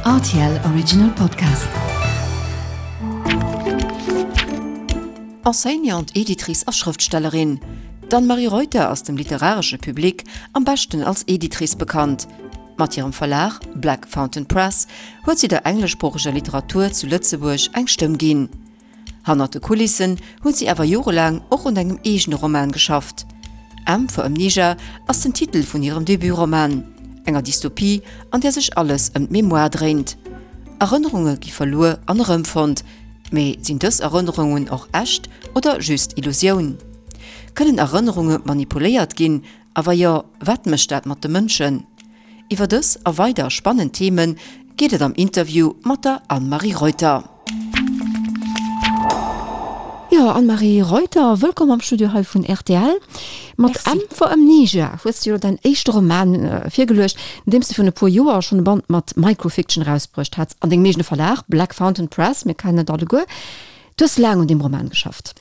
Rtl Original Podcast. Enseignante, Editrice a Schrëftstellerin, D'Anne-Marie Reuter ass dem literaresche Public am beschten als Editrice bekannt. Mat hirem Verlag Black Fountain Press huet si der engleschsproocheger Literatur zu Lëtzebuerg eng Stëmm ginn. Hannert de Kulissen huet si awer jorelaang och un engem eegene Roman geschafft. M for Amnesia ass den Titel vun hirem Debutroman, enger Dystopie, an där sech alles ëm d'Memoire dréint. Erënnerunge gi verluer an erëmfonnt, mee sinn dës Erënnerungen och echt oder just Illusioun? Kënnen Erënnerunge manipuléiert ginn a wa jo, wat mécht dat mat de Mënschen? Iwwer dës a weider spannend Theme geet et am Interview mat der Anne-Marie Reuter. Jo, Anne-Marie Reuter, wëllkomm am Studio hei vun rtl. Mat M for Amnesia hues de jo däin éischte Roman virgeluecht, nodeems de virun e puer Joer schonn e Band mat Microfiction erausbruecht hats an dengem eegene Verlag Black Fountain Press, mir kennen et alleguer. Du hues laang un deem Roman geschafft.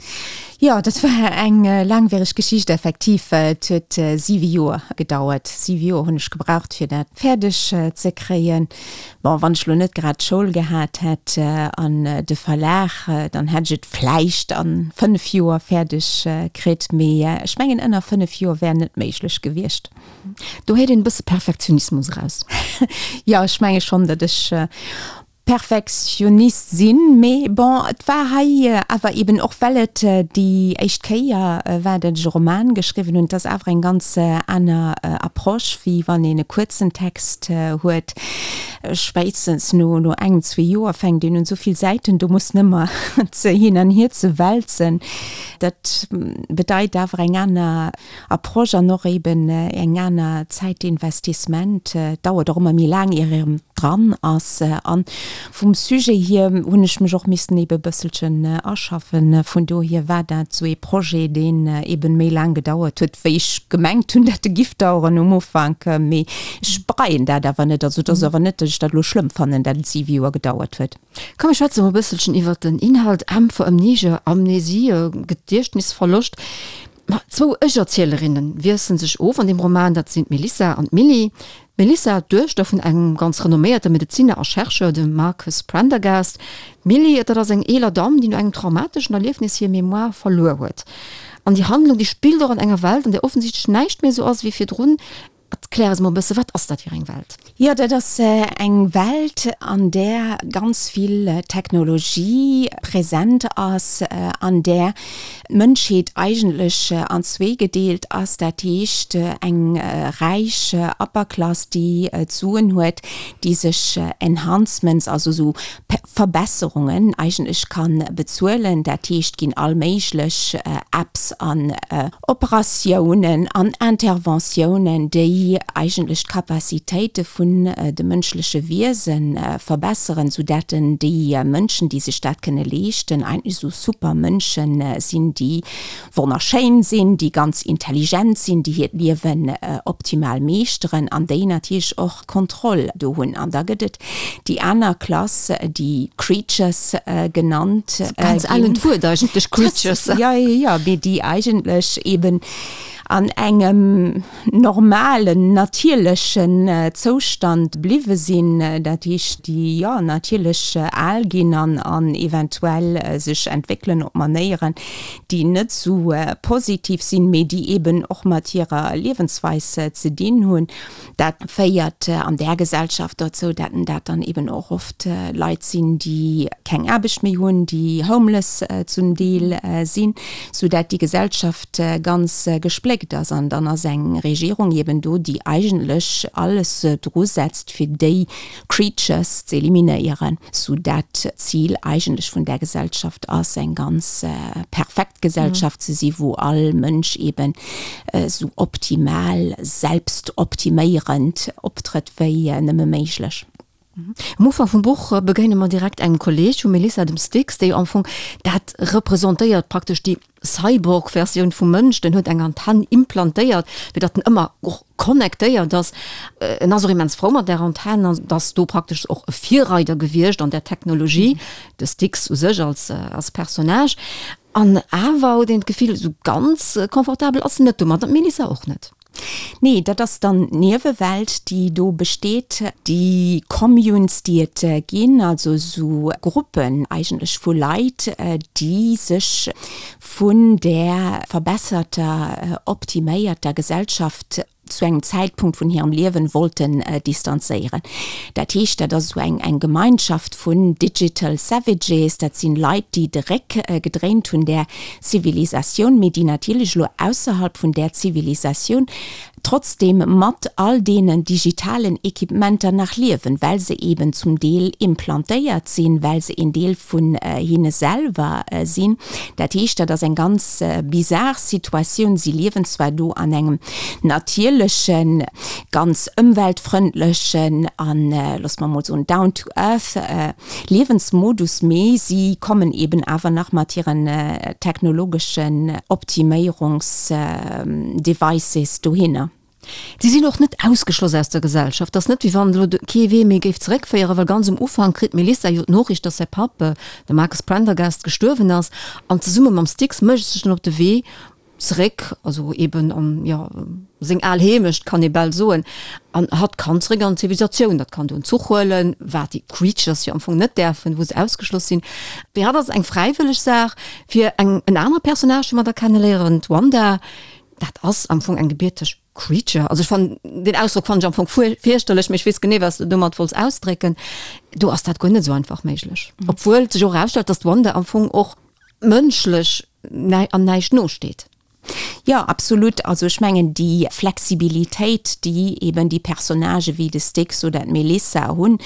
Jo, dat war eng laangwiereg Geschicht, effektiv. Et huet siwe Joer gedauert. Siwe Joer hunn ech gebraucht, fir dat fäerdeg ze kréien. Bon, wann ech lo net grad d'Schoul gehat hätt an de Verlag, dann hätt ech et vläicht a 5 Joer fäerdeg kritt. Mee ech mengen, ënner 5 Joer wär net méiglech gewiescht. Do héiert een e bësse Perfektionismus eraus. Jo, ech menge schonn, datt ech Perfektionist sinn, mee bon, et war hei awer eben och well et déi éischt Kéier war, datt ech e Roman geschriwwen hunn, et ass awer eng ganz aner Approche, wéi wann een e kuerzen Text huet. Spéitstens no no engem, zwee Joer fänkt een un, esou vill Säiten do muss nëmmer ze hin an hier ze wälzen. Dat bedeit awer eng aner Approche an och eben eng aner Zäitinvestissement. Et dauert och ëmmer méi laang, ier een dran ass. An vum Sujet hier hunn ech mech och missen ebe bësselchen aschaffen. Vun dohier war dat esou ee Projet, deen eben méi laang gedauert huet, wéi ech gemengt hunn, dat e giff daueren um Ufank. Mee ech bereien dat awer net. Also et ass awer net, datt ech dat elo schlëmm fannen, dat et siwe Joer gedauert huet. Komm mir schwätze mol e bësselchen iwwert den Inhalt. M for Amnesia, Amnesie, Gediechtnisverloscht. Ma zwou Ech-Erzielerinne wiessele sech of an deem Roman, dat sinn d'Melissa an d'Milly. D'Melissa, d'Duechter vun engem ganz renomméierte Medezinner a Chercheur, dem Marcus Prendergast. D'Milly, dat ass eng eeler Damm, déi no engem traumateschen Erliefnis hir Mémoire verluer huet. An déi Handlung, déi spillt och an enger Welt, an där offensichtlech näischt méi esou ass ewéi virdrun. Erklär eis mol e bësse, wat ass dat fir eng Welt? Jo, dat ass eng Welt, an där ganz vill Technologie present ass, an där d'Mënschheet eigentlech an zwee gedeelt ass. Dat heescht, eng räich Upper Class, déi d'Suen huet, déi sech Enhancements, also esou Verbesserungen eigentlech ka bezuelen. Dat heescht, ginn all méiglech Apps an Operatiounen an Interventiounen, déi eigentlech d'Capacitéite vun de mënschleche Wiese verbesseren, soudatt déi Mënschen, déi sech dat kënne leeschten, eigentlech esou Supermënsche sinn, déi wonnerschéin sinn, déi ganz intelligent sinn, déi hiert Liewen optimal meeschteren an déi natierlech och d'Kontroll do hunn. An da gëtt et déi aner Klass, déi Creatures genannt ginn. Ganz ellent Wuert eigentlech, Creatures. Jo, jo, jo, mee déi eigentlech eeben an engem normalen, natierlechen Zoustand bliwwe sinn, dat heescht, déi, jo, natierlech al ginn an an eventuell sech entwéckelen op Manéieren, déi net esou positiv sinn, mee déi eeben och mat hirer Liewensweis ze dinn hunn. Dat féiert an där Gesellschaft dozou, dat dat dann eben och oft Leit sinn, déi keng Aarbecht méi hunn, déi homeless zum Deel sinn, sou dat déi Gesellschaft ganz gespléckt ass. An dann ass eng Regierung eben do, déi eigentlech alles dru setzt, fir déi Creatures ze eliminéieren, sou dat d'Zil eigentlech vun där Gesellschaft ass, eng ganz perfekt Gesellschaft ze si wou all Mënsch eben esou optimal selbstoptiméierend optrëtt wéi nëmme méiglech. Am Ufank vum Buch begéine mer direkt engem Kolleeg vum Melissa, dem Styx, dee jo am Fong dat representéiert, praktesch déi Cyborg-Versioun vum Mënsch, den huet eng Antenn implantéiert, fir datt en ëmmer och connectéiert ass. En ass och immens frou mat där Antenn an ass do praktesch och e Virreider gewiescht an där Technologie, de Styx u sech als, als Personnage. An awer huet een d'Gefill, esou ganz confortabel ass en net domat, an d'Melissa och net. Nee, dat ass dann d'Niewewelt, déi do besteet, déi Communes, déi et ginn, also esou Gruppen eigentlech vu Leit, déi sech vun där verbesserter, optiméierter Gesellschaft zu engem Zäitpunkt vun hirem Liewen wollten distanzéieren. Dat heescht, dat ass esou eng eng Gemeinschaft vun Digital Savages, dat sinn Leit, déi de Réck gedréint hunn där Zivilisatioun, mee déi natierlech elo ausserhalb vun där Zivilisatioun trotzdem mat all deenen digitalen Equipementer nach liewen, well se eben zum Deel implantéiert sinn, well se een Deel vun hinne selwer sinn. Dat heescht, dat ass eng ganz bizar Situatioun. Si liewen zwar do an engem natierlechen, ganz ëmweltfrëndlechen an, loosse mer emol soen, down to earth Liewensmodus, mee si kommen eben awer nach mat hiren technologeschen Optiméierungsdevices dohinner. Si sinn och net ausgeschloss aus der Gesellschaft. Et ass net, wéi wann elo kee Wee méi géif zeréckféieren, well ganz um Ufank kritt d'Melissa jo d'Noriicht, dass säi Papp, de Marcus Prendergast, gestuerwen ass an zesumme mam Styx mécht sech dann op de Wee zeréck, also eben an, jo, seng al Heemecht, kann ee bal soen, an hatt kann zeréck an d'Zivilisatioun. Dat kann do en Zuch huelen, wat déi Creatures jo am Fong net däerfen, wou se ausgeschloss sinn. Fir hatt ass et eng fräiwëlleg Saach. Fir eng, en anere Personnage, dee mer da kenneléieren, d'Wanda, dat ass am Fong eng gebierteg Creature. Also ech fannen, deen Ausdrock fannen ech am Fong fierchterlech, mee ech weess genee, wat s de domat wollts ausdrécken. Do ass dat guer net esou einfach méiglech. Obwuel sech och erausstellt, dass d'Wanda am Fong och mënschlech an näischt nosteet. Jo, absolut. Also ech mengen déi Flexibilitéit, déi eben déi Personnagë wéi de Styx oder d'Melissa hunn,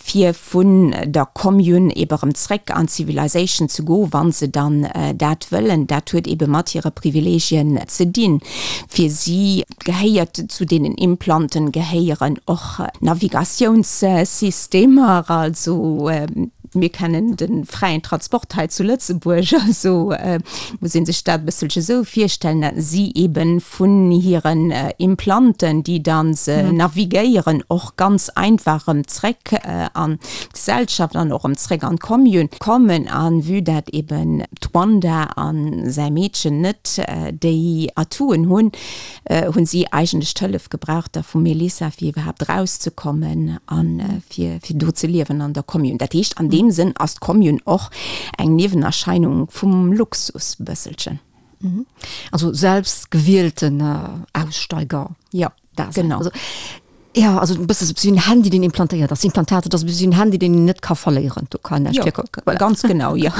fir vun der Commune ebe erëm zréck an d'Civilization ze goen, wa se dann dat wëllen, dat huet ebe mat hire Privilegien ze dinn. Fir si gehéiert zu deenen Implanten gehéieren och Navigatiounssystemer, also Mir kennen de fräien Transport hei zu Lëtzebuerg, also muss ee sech dat e bësselche esou virstellen, datt si ebe vun hiren Implanten, déi da se navigéieren, och ganz einfach erëm zréck an d'Gesellschaft an och erëm zréck an d'Commune kommen. A vue dat eben d'Wanda a säi Meedchen net déi Atouen hunn, hunn si eigentlech d'Hëllef gebraucht da vum Melissa fir iwwerhaapt erauszekommen a fir fir do ze liewen an der Commune. Dat heescht an deem Sënn ass d'Commune och eng Niewenerscheinung vum Luxus bësselchen. Also selbstgewielten Aussteiger. Jo, genau. Also, jo, also e bësse sou wéi en Handy deen implantéiert ass. Implantat, dat ass e bësse wéi en Handy deen een net ka verléieren. Do kann näischt virkommen. Voilà. Ganz genau, jo.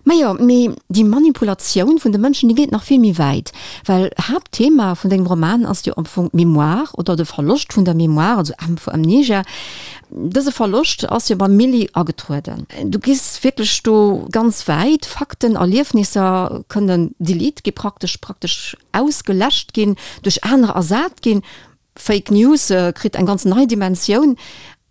Majo, mee déi Manipulatioun vun de Mënschen, déi geet nach vill méi wäit, well Haaptthema vun dengem Roman ass jo am Fong d'Mémoire oder de Verloscht vun der Mémoire, also M vu Amnesia. Dëse Verloscht ass jo beim Milly agetrueden. Du gees wierklech do ganz wäit, Fakten, Erliefnisser kënnen delete gi praktesch, praktesch ausgeläscht ginn, duerch anerer ersat ginn. Fake News kritt eng ganz nei Dimensioun.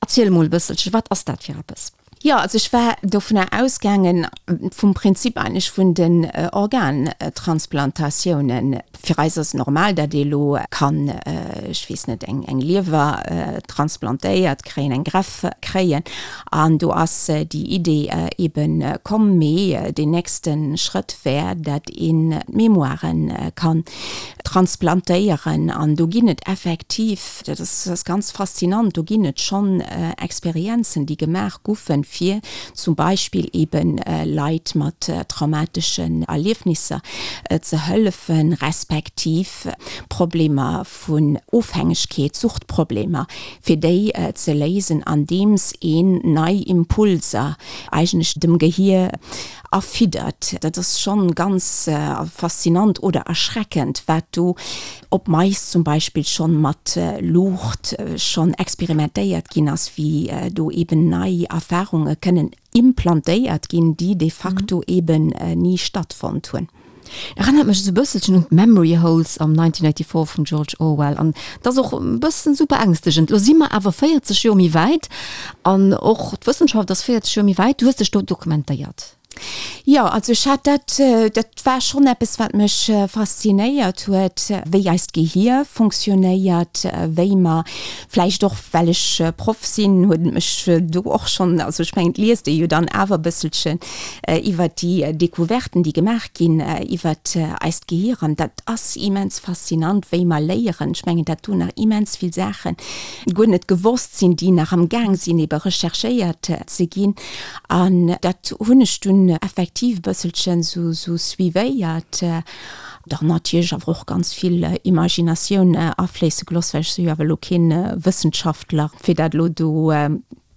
Erziel emol e bësselche, wat ass dat fir eppes? Jo, also ech war dovunner ausgaangen, vum Prinzip eigentlech vun den Organtransplantatiounen. Fir eis ass et normal, datt ee elo kann, ech weess net, eng eng Liewer transplantéiert kréien, eng Greffe kréien. An do ass déi Idee eebe komm. Mee deen nächste Schrëtt wär, datt een d'Mémoiren kann transplantéieren. An do ginn et effektiv, dat ass ganz faszinant, do ginn et schonn Experienzen, déi gemaach goufen, fir zum Beispill eebe Leit mat traumateschen Erliefnisser ze hëllefen, respektiv Problemer vun Ofhängegkeet, Suchtproblemer, fir déi ze léisen, andeems een nei Impulser eigentlech dem Gehier erfiddert. Dat ass schonn ganz faszinant oder erschreckend, wat do op Mais zum Beispill schonn mat Luucht schonn experimentéiert ginn ass, wéi do eben nei Erfarunge kënnen implantéiert ginn, déi de facto eben ni stattfonnt hunn. Erënnert mech esou bësselchen un d'Memory Holes am 1984 vum George Orwell an et ass och e bëssen esou beängstegend. Lo si mer awer 40 Joer méi wäit an och d'Wëssenschaft ass 40 Joer méi wäit. Du hues dech do dokumentéiert. Jo, also ech hat dat, dat war schonn eppes, wat mech faszinéiert huet, wéi eist Gehier fonctionnéiert, wéi mer, vläicht och well ech Proff sinn, huet et mech do och schonn, also ech mengen, et liest ee jo dann awer e bësselchen iwwert déi Découverten, déi gemaach ginn iwwert eist Gehier an dat ass immens faszinant, wéi mer léieren. Ech mengen, dat do nach immens vill Saache guer net gewosst sinn, déi nach am Gaang sinn ebe recherchéiert ze ginn. An dat hunn ech dunn effektiv e bësselchen sou suivéiert. Dann natierlech awer och ganz vill Imaginatioun afléisse gelooss, well ech si jo awer elo kee Wëssenschaftler, fir dat elo do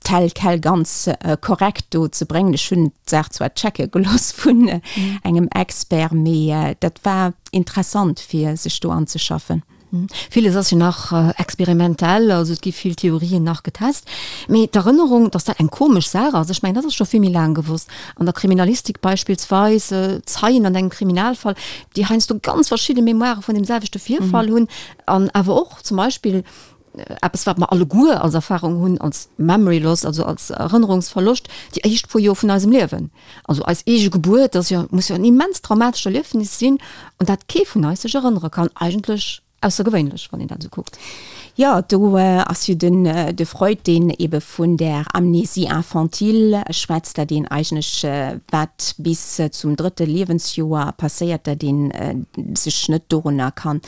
tel quel ganz korrekt do ze bréngen. Ech hunn d'Saach zwar checke gelooss vun engem Expert, mee dat war interessant, fir sech do anzeschaffen. Villes ass jo nach experimentell, also et gi vill Theorien nach getest. Mee d'Erënnerung, datt dat eng komesch Saach ass, ech mengen, dat ass scho vill méi laang gewosst. An der Kriminalistik beispillsweis, Zeien an engem Kriminalfall, déi heiansdo ganz verschidde Mémoirë vun deem selwechte Virfall hunn an awer och zum Beispill eppes, wat mer alleguer als Erfarung hunn, als Memory loss, also als Erënnerungsverloscht, déi éischt puer Joer vun eisem Liewen. Also eis eege Gebuert ass jo, muss jo en immens traumatescht Erliefnis sinn, un dat kee vun eis sech erënnere kann. Eigentlech aussergewéinlech, wann een dat esou kuckt. Jo, do ass jo den de Freud, deen ebe vun där Amnésie infantile schwätzt, dat een eigentlech, wat bis zum drëtte Liewensjoer passéiert, dat een sech net dorunner kann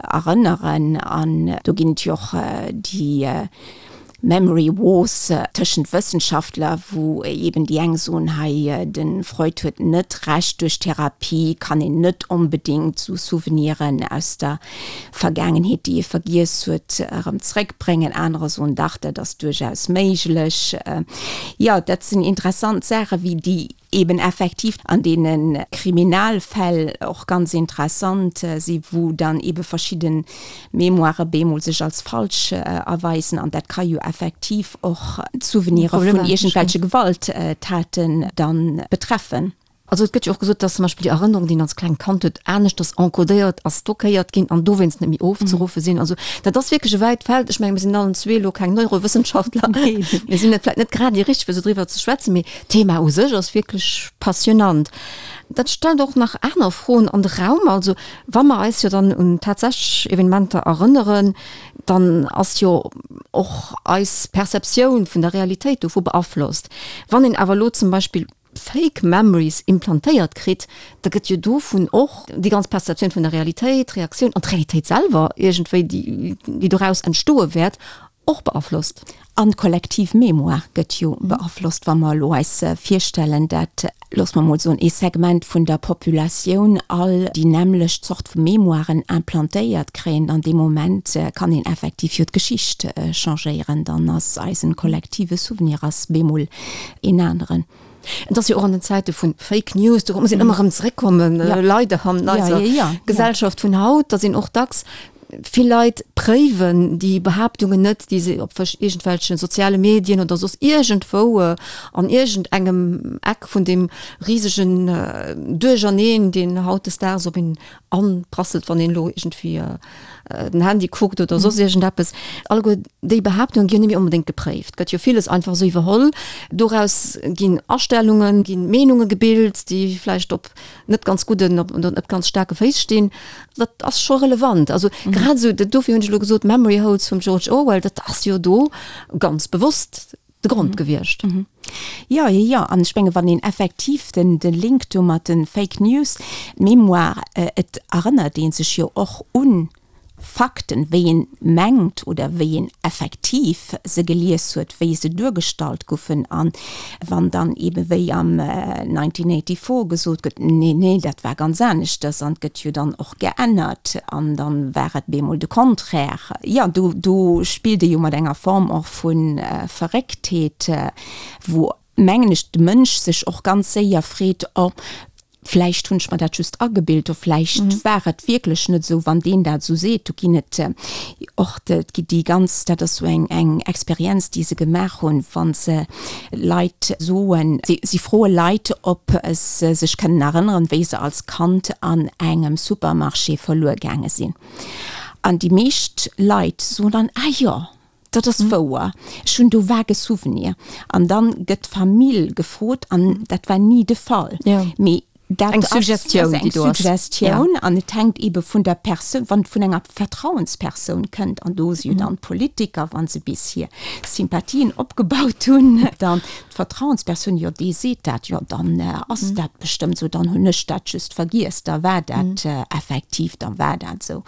erënneren. An do ginn et jo och déi Memory Wars tëschent Wëssenschaftler, wou eben déi eng soen, hei de Freud huet net Recht, duerch Therapie kann een net onbedéngt sou Souveniren aus der Vergaangenheet, déi ee vergiess huet, erëm zréckbréngen. Anerer soen, dach, dat ass duerchaus méiglech. Jo, dat sinn interessant Saachen, wéi déi eben effektiv an deene Kriminalfäll och ganz interessant si wou dann ebe verschidde Mémoirë bemol sech als falsch erweisen an dat ka jo effektiv och d'Souvenire vun iergendwelche Gewalttaten dann betreffen. Also et gëtt jo och gesot, dass zum Beispill déi Erënnerung, déi een als klengt Kand huet, aneschters encodéiert a stockéiert ginn an dowéinst net méi ofzeruffe sinn. Also dat ass wierklech e wäit Feld. Ech menge mir sinn allen zwee elo keng Neurowëssenschaftler. Mir sinn net vläicht net grad déi richteg fir esou driwwer ze schwätzen, mee D'Thema u sech ass wierklech passionant. Dat stellt och nach aner Froen an de Raum. Also wa mer eis jo dann un tatsächlech Evenementer erënneren, dann ass jo och eis Perceptioun vun der Realitéit dovu beaflosst. Wann een awer elo zum Beispill Fake Memories implantéiert kritt, da gëtt jo dovun och déi ganz Perceptioun vun der Realitéit, d'Reaktioun an d'Realitéit selwer iergendwéi, déi doraus entstoe wäert, och beaflosst. An d'kollektiv Mémoire gëtt jo beaflosst, wa mer elo eis virstellen, dat, loosse mer emol soen, ee Segment vun der Populatioun all déi nämmlecht Zort vu Mémoiren implantéiert kréien, dann dee Moment kann een effektiv jo d'Geschicht changéieren, dann ass eisen kollektive Souvenir ass bemol een aneren. Et ass jo och an den Zäite vu Fake News, do muss een ëmmer erëm zeréckkommen, leider an eiser Gesellschaft vun haut, datt een och dacks vill Leit préiwen déi Behaaptungen net, déi se op iergendwelche soziale Medien oder soss iergendwou an iergendengem Eck vun deem risegen Duercherneen, deen hautdesdaags op een anprasselt, wann een elo iergendwéi den Handy kuckt oder soss iergendeppes. Alleguer déi Behaaptungen ginn jo net méi onbedéngt gepréift. Gëtt jo villes einfach esou iwwerholl. Doraus ginn Astellungen, ginn Meenunge gebilt, déi vläicht op net ganz gudden, op net ganz staarke Féiss stinn. Dat ass scho relevant. Also grad esou, dofir hunn ech elo gesot, Memory Holes vum George Orwell, dat ass jo do ganz bewosst de Grond gewiescht. Jo, jo, jo. An ech menge wann een effektiv den de Link do mat de Fake News, d'Mémoire, et erënnert ee sech jo och un Fakten, wéi een mengt oder wéi een effektiv se gelies huet, wéi se duergestallt goufen. An wann dann eebe wéi am 1984 gesot gëtt, nee, nee, dat war ganz aneschters an et gëtt jo dann och geännert an dann war et bemol de Contraire. Jo, do, do spillt ee jo mat enger Form och vu Verrécktheet, wou, mengen ech, de Mënsch sech och ganz séier freet, oh, vläicht hunn ech mer dat just agebilt, oh, vläicht war et wierklech net esou, wann deen dat esou seet. Do ginn et och, et gi déi ganz, dat ass esou eng, eng Experienz, déi se gemaach hunn, wa se Leit soen, si froe Leit, ob se sech kënnen erënneren, wéi se als Kand an engem Supermarché verluer gaange sinn. An déi meescht Leit soen dann, Ah jo! Dat ass wouer. Ech hunn do vage Souvenir. An dann gëtt d'Famill gefrot an dat war ni de Fall. Mee dat Eng Suggestioun, déi do ass. Eng Suggestioun an et hänkt eebe vun der Persoun, wann et vun enger Vertrauenspersoun kënnt, an do si jo dann d'Politiker, wa se bis hir Sympathien opgebaut hunn, dann d'Vertrauenspersoun, jo dee seet dat, jo dann ass dat bestëmmt esou, dann hunn ech dat just vergiess, da war dat effektiv, da war dat esou.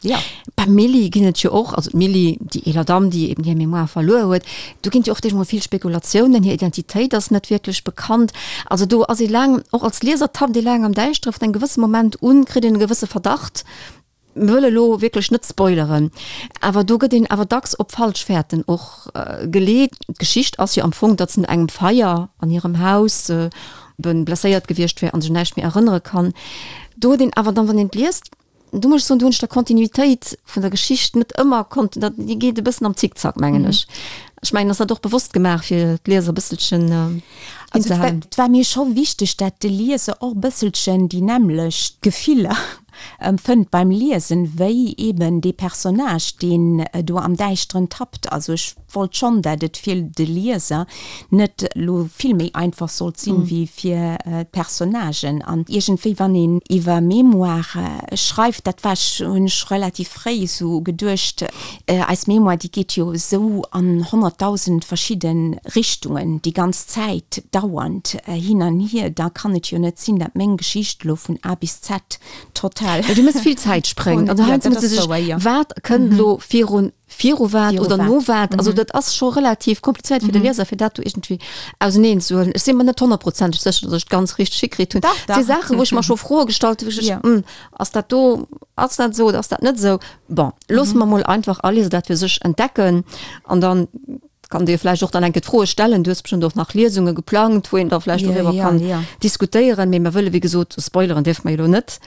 Ja. Beim Milly ginn et jo och, also d'Milly, déi eeler Damm, déi eben hir Mémoire verluer huet, do ginn et jo och deemol vill Spekulatiounen, hir Identitéit ass net wierklech bekannt. Also do ass ee laang, och als Lieser tappt ee laang am Däischtere, vun engem gewësse Moment un kritt een e gewësse Verdacht. Mir wëlle lo wierklech net spoileren, awer do gëtt een awer dacks op falsch Fäerten och geleet. D'Geschicht ass jo am Fong, datt se no engem Feier an hirem Haus eben blesséiert gewiescht wär an sech un näischt méi erënnere kann. Do huet een awer dann, wann een et liest, Do muss ech soen, do hunn ech der Kontinuitéit vun der Geschicht net ëmmer konnten, dat, déi geet e bëssen am Zickzack, mengen ech. Ech mengen, ass dat och bewosst gemaach, fir d'Lieser e bësselchen Also et war, et war mir scho wichteg, dat de Lieser och e bësselchen déi nämmlecht Gefiller empfënnt beim Liesen, wéi eben dee Personnage, deen do am Däischteren tappt. Also ech wollt schonn, dat et fir de Lieser net elo vill méi einfach sollt sinn, wéi fir d'Personnagen. An iergendwéi, wann een iwwer Mémoire schreift, dat war ech, hunn ech relativ fréi esou geduecht, eis Mémoire, déi geet jo esou an 100.000 verschidde Richtungen, déi ganz Zäit, dauernd hin an hier, da kann et jo net sinn, dat meng Geschicht elo vun A bis Z total. Du méchs vill Zäitspréng. Also heiansdo muss ee sech, wat kënnt elo virun viru wat oder no wat. Also dat ass scho relativ komplizéiert fir de Lieser, fir dat do iergendwéi auseneen ze huelen. Ech si mer net honnertprozenteg sécher, datt ech et ganz richteg hikritt hunn. Dat si Saachen, wou ech mer scho Froe gestallt hunn, wou ech ech, ass dat do, ass dat esou oder ass dat net esou? Bon, loosse mer mol einfach all Lieser dat fir sech entdecken an dann kann de jo vläicht och dann eng Kéier d'Froe stellen. Du hues bestëmmt och nach Liesunge geplangt, wou een da vläicht doriwwer kann diskutéieren. Mee mer wëlle wéi gesot, spoileren dierfe mer jo elo net.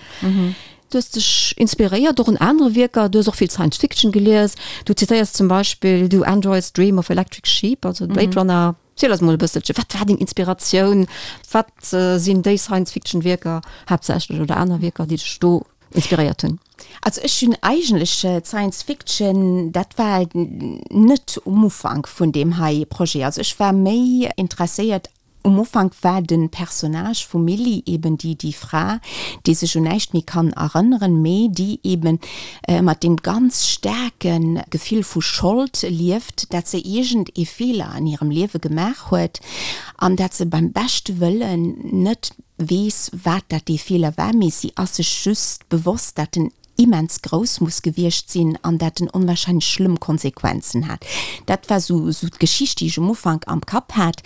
Du hues dech inspiréiert och un anere Wierker, du hues och vill Science Fiction gelies. Du zitéiers zum Beispill Do Androids Dream of Electric Sheep, also Blade Runner. Ziel eis mol e bësselche, wat war deng Inspiratioun? Wat sinn déi Science Fiction Wierker haaptsächlech oder aner Wierker, déi dech do inspiréiert hunn? Also ech hunn eigentlech d'Science Fiction, dat war net um Ufank vun deem hei Projet. Also ech war méi interesséiert Um Ufank war de Personnage vum Milly eben déi déi Fra, déi sech un näischt méi kann erënneren, mee déi eben mat deem ganz staarke Gefill vu Schold lieft, dat se iergend ee Feeler an hirem Liewe gemaach huet an dat se beim beschte Wëllen net weess, wat dat dee Feeler war, mee si ass sech just bewosst, dat en immens grouss muss gewiescht sinn an dat en onwahrscheinlech schlëmm Konsequenzen hat. Dat war sou sou d'Geschicht, déi ech um Ufank am Kapp hat.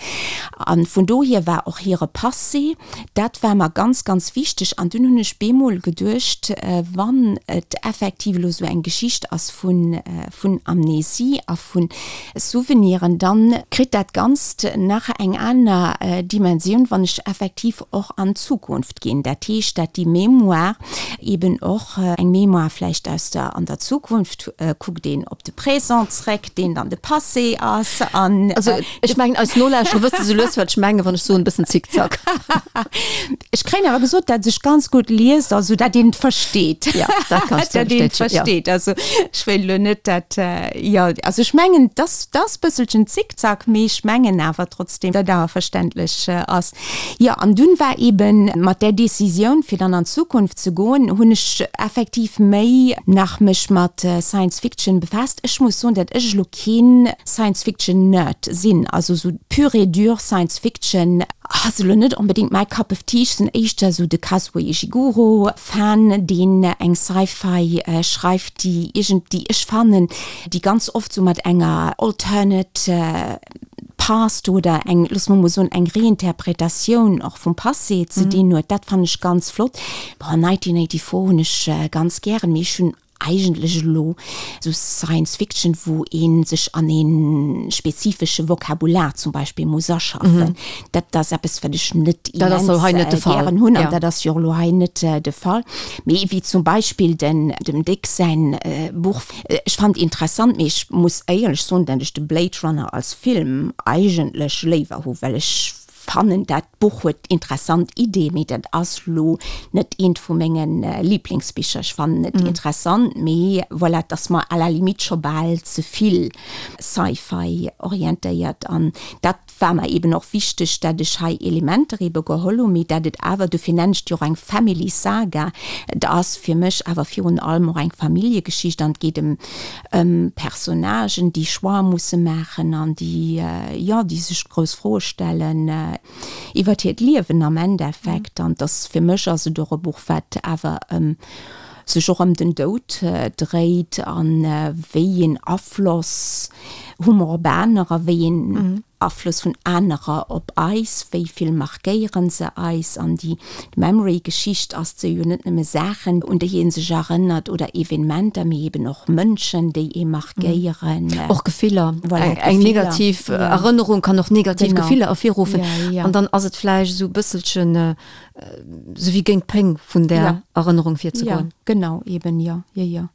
A vun dohier war och hire Passé, dat war mer ganz, ganz wichteg. An dunn hunn ech bemol geduecht, wann et effektiv elo sou eng Geschicht ass vun vun Amnesie a vu Souveniren, dann kritt dat Ganzt nach eng aner Dimensioun, wann ech effektiv och an d'Zukunft ginn. Dat heescht, dat déi Mémoire eben och eng Mémoire vläicht aus der, an der Zukunft kuckt een op de Présent zréck, deen dann de Passé ass an. Also ech mengen, eis Nolauschterer wësse sou lues, wat ech mengen, wann ech soen, e bëssen Zickzack. Ech kréien awer gesot, dat sech ganz gutt liest, also dat een et versteet. Ja, dat kann ech Dat een et versteet. Also ech wéilt elo net, dat, jo, also ech mengen, dass, dass bësselchen Zickzack, mee ech mengen awer trotzdem, dat awer verständlech ass. Jo, an dunn war eben mat där Décisioun, fir dann an d'Zukunft ze goen, hunn ech effektiv méi nach mech mat Science Fiction befaasst. Ech muss soen, dat ech elo keen Science Fiction Nerd sinn, also sou pure et dure Science Fiction ass elo net onbedéngt mäi Cup of Tea. Ech sinn éischter sou de Kazuo Ishiguro Fan, deen eng Sci-Fi schreift, déi iergend, déi ech fannen, déi ganz oft sou mat enger alternate Past oder eng, loosse mer mol soen, eng Reinterpretatioun och vum Passé ze dinn huet. Dat fannen ech ganz flott. Bon, 1984 hunn ech ganz gären, mee ech hunn eigentlech elo esou Science Fiction, wou ee sech an ee spezifesche Vokabular zum Beispill muss aschaffen, dat ass eppes, wat ech net immens gären hunn an dat ass jo och elo hei net de Fall. Mee wéi zum Beispill den dem Dick säin Buch, Ech fand interessant, mee ech muss éierlech soen, dat ech de Blade Runner als Film eigentlech léiwer hu, well ech. fannen dat Buch huet interessant Iddie, mee dat ass lo net eent vu menge Liblingsbicher. Ech fannen et interessant, mee voilà, et ass mer à la limite scho bal ze vill Sci-Fi orientéiert an dat war mer eben och wichteg, dat ech hei Elementer ebe geholl hunn, mee dat et awer, dofir nennen ech et jo och eng Family Saga, et ass fir mech awer virun allem och eng Familljegeschicht an et geet ëm ëm Personnagen, déi Choix musse maachen an déi, jo, déi sech grouss Froe stellen iwwert hiert Liewen am Endeffekt. An et ass, fir mech ass et och e Buch, wat awer ëm sech och ëm den Doud dréit a wéi een Afloss hu mer op anerer, wéi een Afloss vun anerer op eis, wéi vill markéieren se eis? An déi Memory-Geschicht ass se jo net nëmme Saachen, un déi ee sech erënnert oder Evenementer, mee eben och Mënschen, déi ee markéieren. Och Gefiller. Voilà, Eng negativ Erënnerung kann och negativ Gefiller ervirruffen. An dann ass et vläicht esou e bësselchen esou wéi géint d'Péng vun där Erënnerung virzegoen. Jo, genau, eben, jo, jo, jo.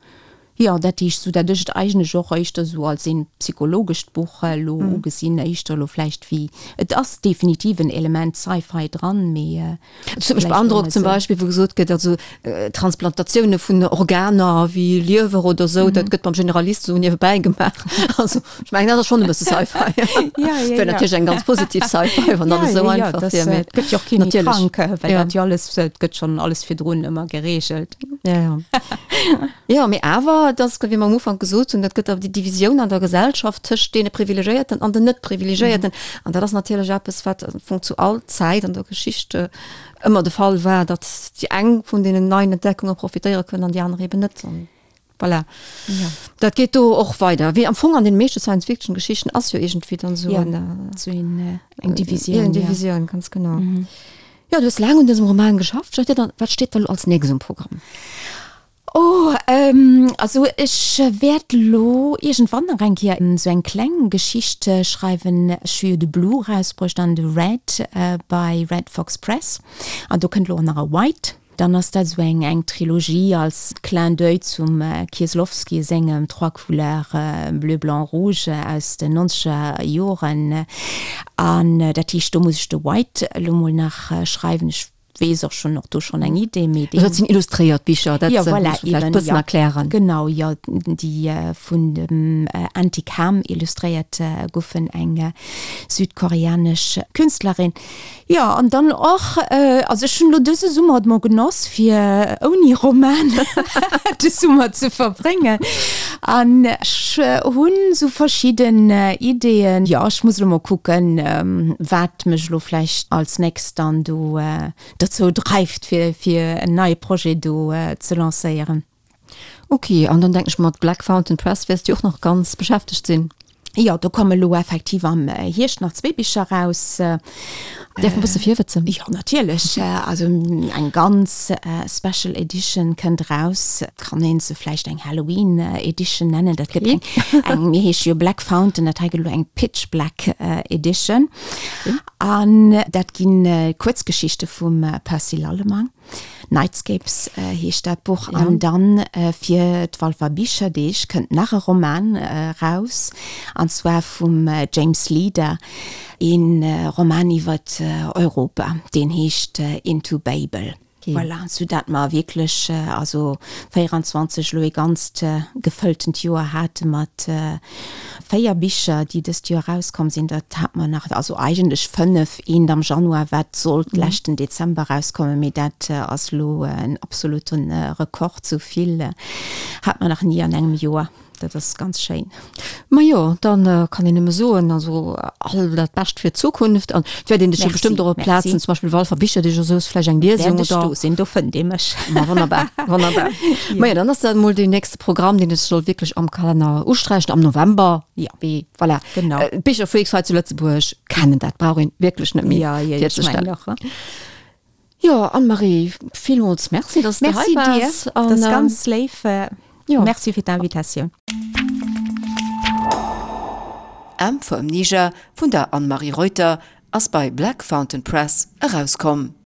Jo, dat heescht, sou dat ech et eigentlech och éischter sou als een psychologescht Buch elo ugesinn, éischter elo vläicht wéi, et ass definitiv en Element Sci-Fi dran, mee Et huet mech beandrockt zum Beispill, wou gesot gëtt, also Transplantatioune vun Organer wéi Liewer oder sou, dat gëtt beim Generalist sou niewebäi gemaach. Also ech mengen, dat ass schonn e bësse Sci-Fi. Wär natierlech eng ganz positiv Sci-Fi, wann alles esou einfach wier, mee et gëtt jo och kee méi krank, well dat jo alles, et gëtt schonn alles virdrun ëmmer gereegelt. Jo, jo. Jo, mee awer, et ass, wéi mer am Ufank gesot hunn, dat gëtt awer déi Divisioun an der Gesellschaft tëscht deene Privilegéierten an den Net-Privilegéierten. An dat ass natierlech eppes, wat am Fong zu all Zäit an der Geschicht ëmmer de Fall war, datt déi eng vun deenen neien Entdeckunge profitéiere kënnen an déi aner eben net. An voilà. Dat geet do och weider. Wéi am Fong an deene meeschte Science-Fiction-Geschichten ass jo iergendwéi dann esou eng, eng Divisioun. Eng Divisioun, ganz genau. Jo, du hues laang un dësem Roman geschafft, Jacques. Wat steet da lo als nächstes um Programm? Oh, also ech wäert lo iergendwann nach eng Kéier esou eng kleng Geschicht schreiwen. Ech hu jo de Blue erausbruecht an de Red bei Red Fox Press an do kënnt lo och nach e White. Dann ass dat esou eng eng Trilogie als Clin d'oeil zum Kieslowski sengem Trois couleurs bleu, blanc, rouge aus den nonzeger Joren. An dat heescht, do muss ech de White elo mol nach schreiwen. Ech weess och schonn, och do schonn eng Idee, mee deen. Dat sinn illustréiert Bicher, dat ja, voilà, muss vläicht e bëssen erklären. Genau, jo, déi vun dem Antique Ham illustréiert goufen, eng südkoreanesch Künstlerin. Jo, an dann och, also ech hunn elo dëse Summer et mol genoss, fir ouni Roman de Summer ze verbréngen. An ech hunn esou verschidden Ideeën. Jo, ech muss elo mol kucken, wat mech elo vläicht als nächst dann do dozou dreift, fir fir en neie Projet do ze lancéieren. Ok, an dann denken ech mat Black Fountain Press wäers du och nach ganz beschäftegt sinn. Jo, do komme lo effektiv am Hierscht nach zwee Bicher raus. Däerf mer e bësse virwëtzen? Jo, natierlech. Also eng ganz Special Edition kënnt raus. Kann een se vläicht eng Halloween Edition nennen. Dat gëtt eng, eng, mir heesche jo Black Fountain, dat hei gëtt elo eng Pitch Black Edition. An dat gi Kuerzgeschichte vum Percy Lallemang. Nightscapes heescht dat Buch. An dann fir d'Walfer Bicherdeeg kënnt nach e Roman eraus, an zwar vum James Leader, ee Roman iwwer Europa, deen heescht Into Babel. Voilà, sou dat mer wierklech also 24 elo ee ganzt gefëlltent Joer hate mat 4 Bicher, déi dëst Joer erauskomm sinn. Dat hat mer nach, also eigentlech 5, eent am Januar, wat sollt leschten Dezember erauskommen, mee dat ass elo en absolute Rekord, sou vill hat mer nach ni an engem Joer. Dat ass ganz schéin. Majo, dann kann een nëmme soen, also all dat Bescht fir d'Zukunft an et wäert een dech jo bestëmmt och op Plazen, zum Beispill Walfer Bicherdeeg oder sou, vläicht eng Liesung oder. Wäert ech do sinn, do fënnt ee mech. Ma wonnerbar, wonnerbar. Majo, dann ass dat emol deen nächste Programm, deen ech soll wierklech am Kalenner usträichen am November. Ja. Wéi, voilà. Genau. D'Bicherfreaks hei zu Lëtzebuerg kennen dat, brauch een wierklech net méi ja, ja, virzestellen. Jo, Anne-Marie, villmools Merci, dass du hei waars. Merci dir, dat ass ganz léif. Jo. Merci fir d'Invitatioun. M for Amnesia vun der Anne-Marie Reuter ass bei Black Fountain Press erauskomm.